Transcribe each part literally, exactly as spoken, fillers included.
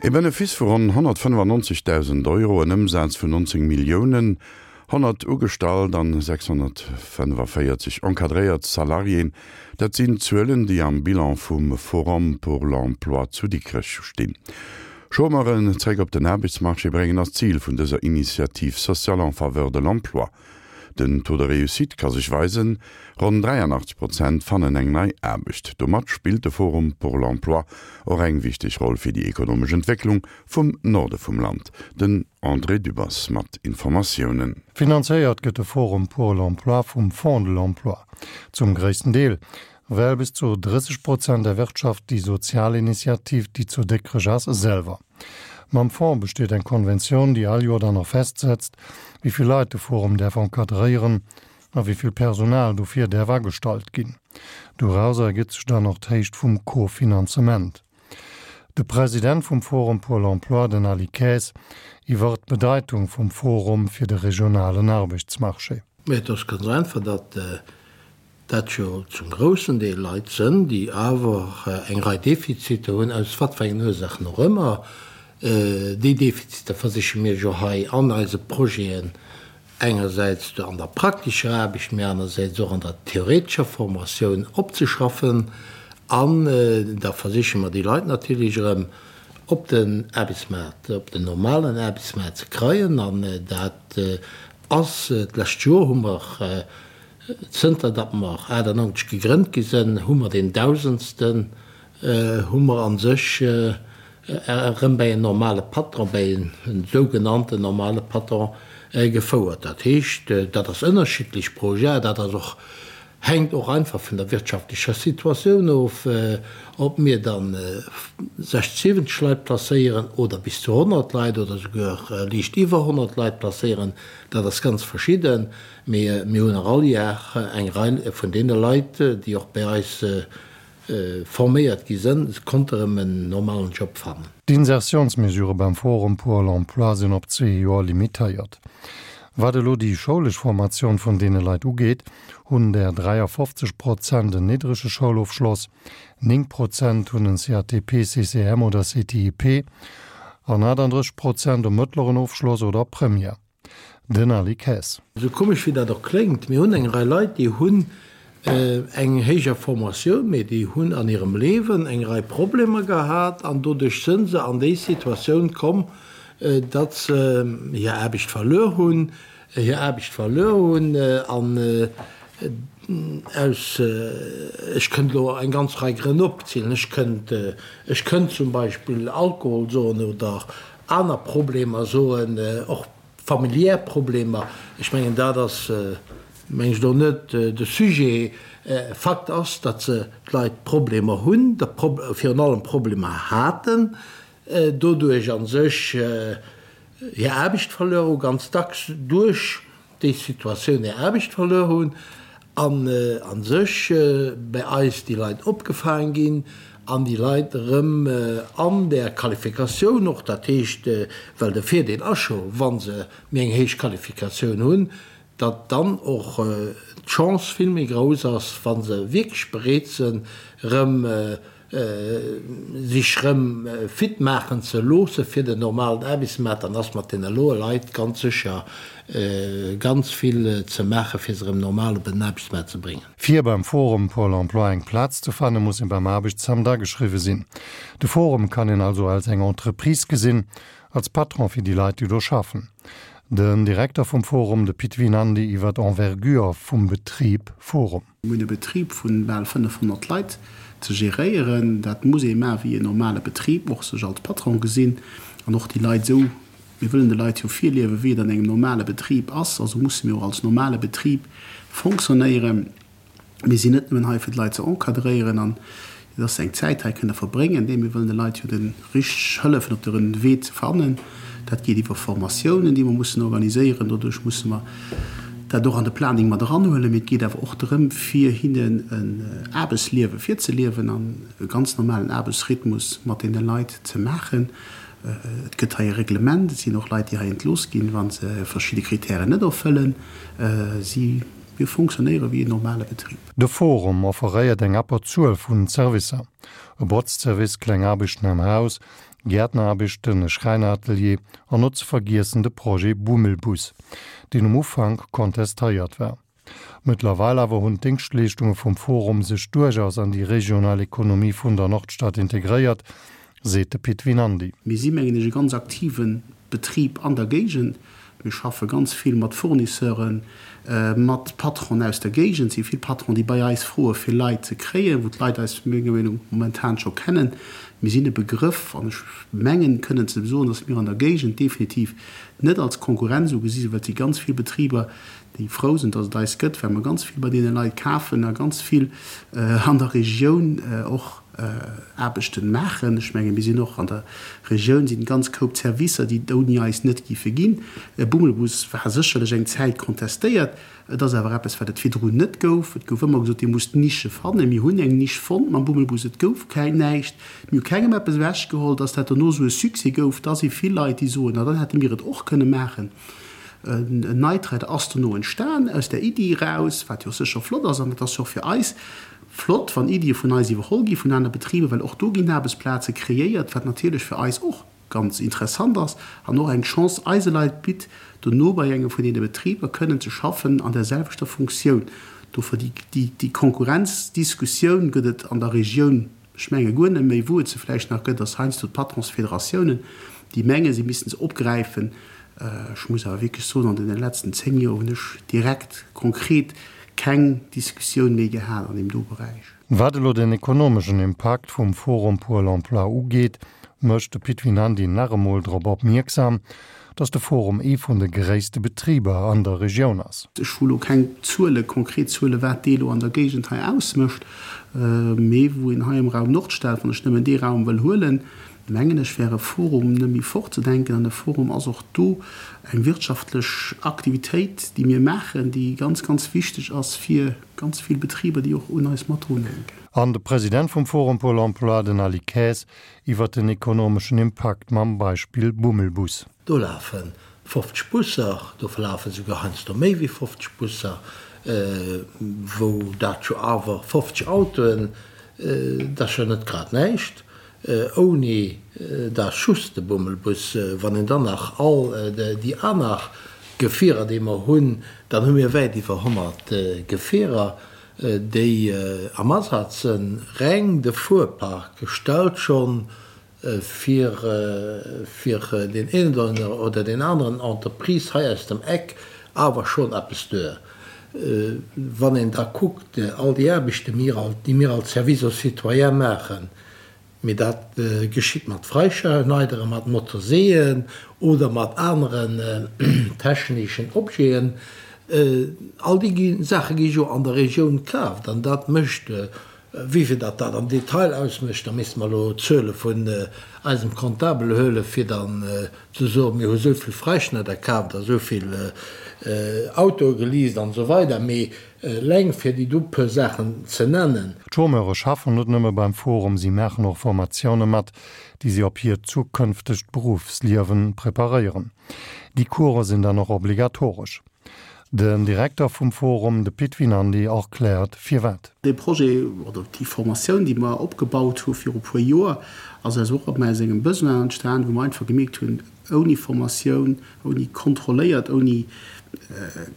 E Benefice vu ronn honnertfënnefannonzegdausend Euro, en Ëmsaz vun nonzéng Milliounen, honnert ugestallt an sechshonnertfënnefavéierzeg encadréiert Salariéen, dat sinn d'Zuelen, déi am Bilan vum Forum pour l'emploi zu Dikrech stinn. Chômeuren zréck op den Aarbechtsmarché bréngen ass d'Zil vun dëser Initiative sociale en faveur de l'emploi. Den Taux de réussite ka sech weisen, ronn dräianachtzeg Prozent fannen eng nei Aarbecht. Domat spillt de Forum pour l'emploi och eng wichteg Roll fir déi ekonomesch Entwécklung vum Norde vum Land. Den André Dübbers mat Informatiounen. Finanzéiert gëtt de Forum pour l'emploi vum Fonds de l'emploi zum gréissten Deel, well bis zu drësseg Prozent erwirtschaft déi sozial Initiativ, déi zu Dikrech ass, selwer. Mam Fonds besteet eng Konventioun, déi all Joer dann och festsetzt, wéi vill Leit de Forum däerf encadréieren a wéi vill Personal dofir däerf agestallt ginn. Dorauser ergëtt sech dann och d'Héicht vum Co-Finanzement. De President vum Forum pour l'emploi, den Aly Kaes, iwwer d'Bedeitung vum Forum fir de regionalen Arbechtsmarché. Mä et ass ganz einfach, datt dat jo zum groussen Deel Leit sënn, déi awer eng Rei Defiziter hunn, aus wat fir engen Ursachen och ëmmer. Déi Defiziter versiche mir jo hei an eise Projeten engersäits an der praktescher Aarbecht, mä anersäits och an der theoretescher Formatioun opzeschaffen. An da versiche mer déi Leit natierlech erëm op den Aarbechtsmaart, op den normalen Aarbechtsmaart ze kreien. An dat ass, d'lescht Joer hu mer, Zënter datt mer achtannonzeg gegrënnt gi sënn, hu mer deen Dausendsten hu mer a sech erëm bäi en normale Patron, bäi en sougenannten normale Patron gefouert. Dat heescht, dat ass ënnerschiddlech pro Jar, dat ass och, hänkt och einfach vun der wirtschaftlecher Situatioun of, ob mir dann sechzeg, siwwenzeg Leit placéieren oder bis zu honnert Leit oder souguer liicht iwwer honnert Leit placéieren, dat ass ganz verschidden. Mee mir hunn och all Jar eng Rei vun deene Leit, déi och bei eis forméiert gi sënn, konnte erëm en normalen Job fannen. D'Insertiounsmesurë beim Forum pour l'emploi sinn op zwee Joer limitéiert. Wat elo déi schoulesch Formatioun vun deene Leit ugeet, hunn der dräiafofzeg Prozent en niddrege Schoulofschloss, néng Prozent hunn en C A T P, C C M oder C T I P an achtandrësseg Prozent e mëttleren Ofschloss oder Première. Den Aly Kaes. Esou komesch wéi dat och kléngt, mir hunn eng Rei Leit, déi hunn eng héijer Formatioun, mee déi hunn an hirem Liewen eng Rei Problemer gehat an doduerch sënn se an déi Situatioun komm, datt se hir Aarbecht verluer hunn, hir Aarbecht verluer hunn an aus, ech kënnt elo eng ganz Rei Grënn opzielen, ech kënnt, ech kënnt zum Beispill Alkohol soen oder aner Problemer soen, och familiär Problemer, ech mengen dat ass, meng ech, do net de Sujet. Fakt ass, datt se, d'Leit Problemer hunn, virun allem Problemer haten, doduerch a sech hir Aarbecht verluer hu, ganz dacks duerch déi Situatioun hir Aarbecht verluer hunn an a sech bei eis déi Leit opgefaang ginn an déi Leit erëm an där Qualifikatioun och, dat heescht, well de Virdeel ass scho wa se méi eng héich Qualifikatioun hunn, datt dann och d'Chance vill méi grouss ass, wa se wierklech bereet sinn, erëm sech erëm fit maachen ze loosse fir den normalen Aarbechtsmaart, dann ass mat deene loe Leit ganz sécher ganz vill ze maachen, fir se erëm normal op den Aarbechtsmaart ze bréngen. Fir beim Forum Pôle emploi eng Plaz ze fanne muss ee beim Aarbechtsamt ageschriwwe sinn. De Forum kann een also als eng Entreprise gesinn, als Patron fir déi Leit, déi do schaffen. Den Direkter vum Forum, de Pit Vinandy iwwer d'Envergure vum Betrib Forum. Mir hunn e Betrib vu bal fënnefhonnert Leit ze geréieren. Dat muss ee maache wéi en normale Betrib, och sech als Patron gesinn an och déi Leit esou. Mir wëllen de Leit jo virliewen, wéi et an engem normale Betrib ass. Also musse mir och als normale Betrib fonctionnéieren. Mir sinn net nëmmen hei, fir d'Leit ze encadréieren an dass se eng Zäit hei kënne verbréngen. Nee, mir wëllen de Leit jo de richteg hëllefen, op de Wee ze fannen. Dat geet iwwer Formatiounen, déi mer mussen organiséieren. Doduerch musse mer dat och an de Planning mat eranhuelen. Mee et geet awer och drëm, fir hinnen en Aarbechtsliewe virzeliewen an e ganz normalen Aarbechtsrhythmus mat deene Leit ze maachen. Et gëtt hei e Reglement. Et sinn och Leit, déi hei entlooss ginn, wa se verschidde Kritären net erfëllen. Si, mir fonctionnéiere wéi en normale Betrib. De Forum offeréiert eng Abberzuel vun Servicer. E Botzservice, kleng Aarbechten am Haus, Gäertneraarbechten, e Schräineratelier an net ze vergiessen de Projet Bummelbus, deen um Ufank kontestéiert war. Mëttlerweil awer hunn d'Déngschtleeschtunge vum Forum sech duerchaus an déi regional Ekonomie vun der Nordstad integréiert, seet de Pit Vinandy. Mir si mengen ech e ganz aktive Betrib an der Géigend. Mir schaffe ganz vill mat Fournisseuren, mat Patronen aus der Géigend. Et si vill Patronen, déi bei eis froe fir Leit ze kréien, wou d'Leit eis menger Meenung momentan scho kennen. Mir sinn e Begrëff an ech mengen kënnen ze soen, datt mir an der Géigend definitiv net als Konkurrenz ugesi sinn, well et si ganz vill Betriber, déi frou sinn, datt et eis gëtt, well mer ganz vill bei deene Leit kafen a ganz vill an der Regioun och Aarbechten maachen. Ech menge mir sinn och an der Regioun sinn ganz Koup Servicer, déi et ouni eis net géife ginn. E Bummelbus war sécherlech eng Zäit kontestéiert. Et ass awer eppes, wat et virdrun net gouf. Et gouf ëmmer gesot, Dir musst Nische fannen. Mir hunn eng Nisch fonnt mam Bummelbus. Et gouf keng näischt. Mir hu kengem eppes ewechgeholl. Dass dat dono esou e Succès gouf, da si vill Leit, déi soen, Na, dann hätte mir et och kënne maachen. En Night Rider ass dono entstan aus där Iddi eraus, wat jo sécher flott ass. An et ass jo och fir eis flott, wann Iddie vun eis iwwerholl gi vun aner Betriber, well och do ginn Aarbechtsplaze kreéiert, wat natierlech fir eis och ganz interessant ass an och eng Chance eise Leit bitt, dono bei engem vun deene Betriber kënnen ze schaffen an där selwechter Funktioun. Dofir déi Konkurrenzdiskussioun gëtt et an der Regioun, ech menge guer net méi. Wou et se vläicht nach gëtt, ass heiansdo d'Patronsfederatiounen, déi mengen, si missten se opgräifen. Ech muss awer wierklech soen, an deene letzten zéng Joer hunn ech direkt konkret keng Diskussioun méi gehat an deem do Beräich. Wat elo den ekonomeschen Impakt vum Forum pour l'emploi ugeet, mécht de Pit Vinandy nach emol drop opmierksam, datt de Forum ee vun de gréisste Betriber an der Regioun ass. Ech hu lo keng Zuele, konkret Zuele wat dee lo an der Géigend hei ausmécht, mee wou een hei am Raum Nordstad, wann ech nëmmen dee Raum wëll huelen, mengen ech, wär e Forum net méi fortzedenken. An e Forum ass och do eng wirtschaftlech Aktivitéit, déi mir maachen, déi ganz, ganz wichteg ass fir ganz vill Betriber, déi och un eis mat drunhänken. An de President vum Forum pour l'emploi, den Aly Kaes, iwwer den ekonomeschen Impakt mam Beispill Bummelbus. Do lafe fofzeg Busser, do lafe souguer heiansdo méi wéi fofzeg Busser, wou dat jo awer fofzeg Autoen, dat ass jo net grad näischt. Ouni da just de Bummelbus, wann een dann nach all déi aner Gefierer, déi mer hunn, dann hu mir wäit iwwer honnert Gefierer, déi am Asaz sënn. Reng de Fuerpark stellt scho fir fir deen een oder deen aneren Entreprise hei aus dem Eck awer schonn eppes duer. Wann een da kuckt, all déi Aarbechten, déi mir als Service aux citoyens maachen, Mee dat geschitt mat Freischneideren, mat Motorseeën oder mat aneren techneschen Objeten. All déi Saache gi jo an der Regioun kaaft an dat mécht, wéivill datt dat am Detail ausmécht, da misste mer elo d'Zuele vun eisem Comptabel huelen, fir dann ze soen, mir hu esou vill Freischneider kaaft a esou vill Autoe geleast an esou weider. Mee Eleng fir déi do puer Saachen ze nennen. D'Chômeure schaffen net nëmme beim Forum, si maachen och Formatioune mat, déi si op hiert zukënftegt Beruffsliewe preparéieren. Déi Course sinn dann och obligatoresch. Den Direkter vum Forum, de Pit Vinandy, erkläert firwat. Dee Projet oder déi Formatioun, déi mer opgebaut hu viru puer Joer, ass aus och aus engem Besoin entstan, wou mer einfach gemierkt hunn, Ouni Formatioun, ouni kontrolléiert, ouni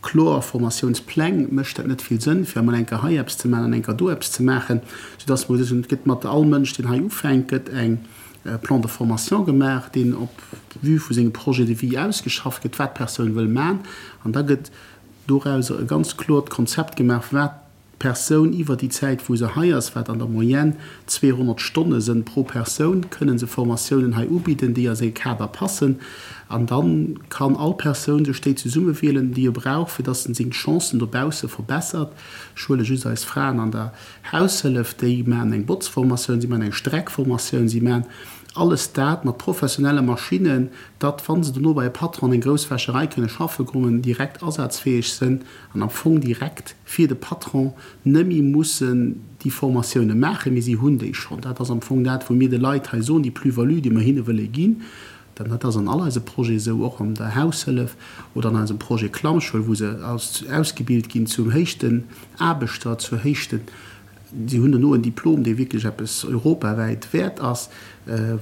kloer Formatiounspläng mécht dat net vill Sënn, fir emol eng Kéier hei eppes ze maachen an eng Kéier do eppes ze maachen, soudass mer gesot hunn, et gëtt mat all Mënsch, deen hei ufänkt, gëtt eng Plan de formation gemaach, deen op vue vu sengem Projet de vie ausgeschafft gëtt, wat d'Persoun wëll maachen, an da gëtt dorauser e ganz kloert Konzept gemaach, wat Persoun iwwer déi Zäit wou se hei ass, wat an der Moyenne zweehonnert Stonne sënn pro Persoun, kënnen se Formatiounen hei ubidden, déi a säi Kader passen. An da kann all Persoun sech déi zesummewielen, déi e brauch, fir dass en seng Chancen dobausse verbessert. Ech huele just eis Fraen an der Haushëllef, déi maachen eng Botzformatioun, si maachen eng Streckformatioun, si maachen alles dat mat professionelle Maschinnen, datt, wa se dono bei e Patron an eng grouss Wäscherei kënne schaffe kommen, direkt asazfäeg sënn an am Fong direkt fir de Patron nëmme mussen déi Formatioune maachen, mee si hunn déi schonn. Dat ass am Fong dat, wou mir de Leit hei soen, déi Plus-value, déi mer hinne wëlle ginn. Dat ass an all eise Projete esou, och an der Haushëllef oder an eisem Projet Klammschoul, wou se ausgebilt ginn zum héichten Aarbechter, zur héichten Si hunn dono en Diplom, dee wierklech eppes europawäit wäert ass,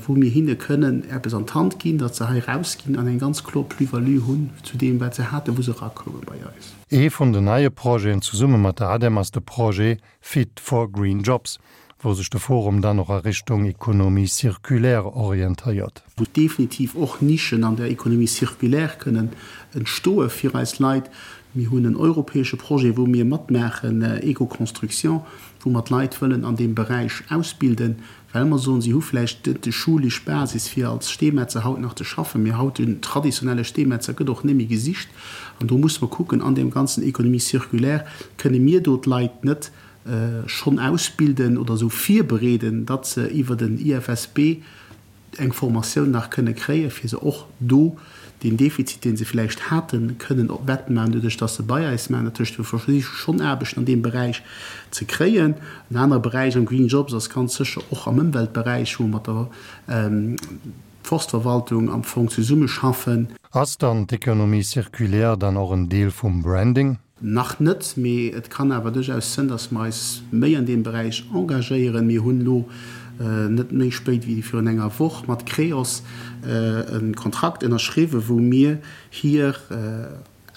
wou mir hinne kënnen eppes an d'Hand ginn, datt se hei erausginn an eng ganz kloer Plus-value hunn zu deem, wat se haten, wou se erakoume bei eis. Ee vun den neie Projeten zesumme mat der ADEM ass de Projet Fit for Green Jobs, wou sech de Forum dann och a Richtung Économie circulaire orientéiert. Wou definitiv och Nischen an der Économie circulaire kënnen entstoe fir eis Leit. Mir hunn en europäesche Projet, wou mir matmaachen, Eco-Construction, wou mer d'Leit wëllen an deem Beräich ausbilden, well mer soen, si hu vläicht net déi schulesch Basis, fir als Steemetzer haut nach ze schaffen, mee haut en traditionelle Steemetzer gëtt och net méi gesicht. An do musse mer kucken, an deem ganzen Économie circulaire, kënne mir do d'Leit net schonn ausbilden oder esou virbereeden, datt se iwwer den I F S B eng Formatioun nach kënne kréien, fir se och do deen Defizit, dee se vläicht haten, kënnen wettmaachen, doduerch datt se bei eis maachen. Dat heescht, mir versiche schonn Aarbechten an deem Beräich ze kréien. En anere Beräich am Green Jobs ass ganz sécher och am Ëmweltberäich, wou mer mat der Forstverwaltung am Fong zesummeschaffen. Ass dann d'Économie circulaire dann och en Deel vum Branding? Nach net, mee et kann awer duerchaus sënn, datt mer eis méi an deem Beräich engagéieren. Mir hunn elo net méi spéit wéi virun enger Woch mat Creos e Kontrakt ënnerschriwwen, wou mir hir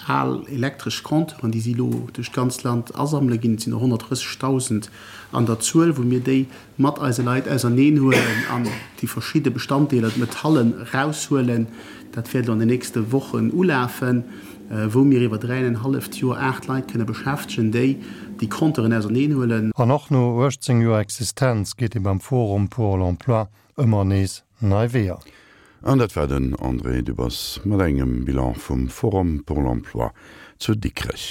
al elektresch Compteuren, déi si elo duerch d'ganzt Land asammele ginn, et sinn der honnertdrëssegdausend an der Zuel, wou mir déi mat eise Leit auserneenhuelen an déi verschidde Bestanddeeler, d'Metallen, eraushuelen. Dat wäert elo an den nächste Wochen ulafen, wou mir iwwer dräi an en halleft Joer aacht Leit kënne beschäftegen, déi déi Compteuren auserneenhuelen. An och no uechtzéng Joer Existenz geet ee beim Forum pour l'emploi ëmmer nees nei Weeër. An dat war den André Dübbers mat engem Bilan vum Forum pour l'emploi zu Dikrech.